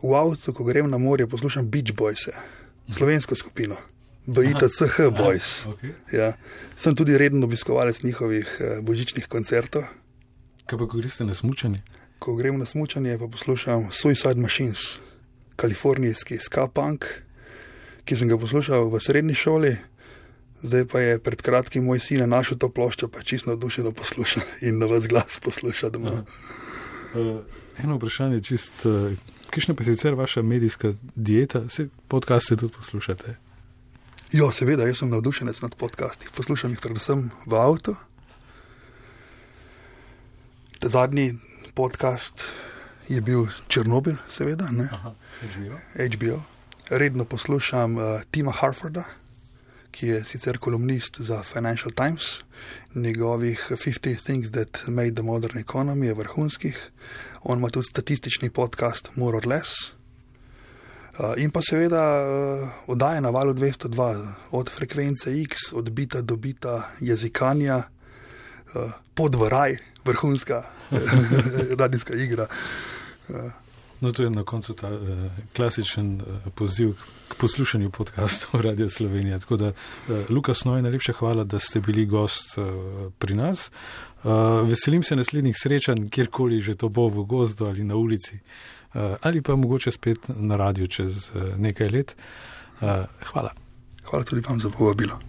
V avtu, ko grem na morje, poslušam Beach Boyse, slovensko skupino, B I T C H Boys. Aha, okay. Ja. Sem tudi reden obiskovalec njihovih eh, božičnih koncertov. Kaj pa, ko greste na smučanje? Ko grem na smučanje, pa poslušam Suicide Machines, kalifornijski ska punk, ki sem ga poslušal v srednji šoli, zdaj pa je pred kratkim moj sin našel to ploščo, pa čisto navdušeno posluša in na vas glas posluša doma. Uh, eno vprašanje čist, uh, kakšna pa sicer vaša medijska dieta? Vse podcaste tudi poslušate? Jo, seveda, jaz sem navdušenec nad podcasti. Poslušam jih predvsem v avtu. Ta zadnji podcast je bil Černobil, seveda, ne? Aha, H B O. H B O. Redno poslušam uh, Tima Harforda, ki je sicer kolumnist za Financial Times. Njegovih fifty Things That Made the Modern Economy je vrhunskih. On ima tudi statistični podcast More or Less. Uh, in pa seveda uh, oddaje na Valu dvesto dva, od Frekvence X, od bita do bita, jezikanja, uh, Pod v raj, vrhunska radijska igra. Uh, No, to je na koncu ta uh, klasičen uh, poziv k poslušanju podcastov Radio Slovenija. Tako da, uh, Luka Snoj, najlepša hvala, da ste bili gost uh, pri nas. Uh, veselim se naslednjih srečanj, kjerkoli že to bo, v gozdu ali na ulici, uh, ali pa mogoče spet na radiju čez uh, nekaj let. Uh, hvala. Hvala tudi vam za povabilo.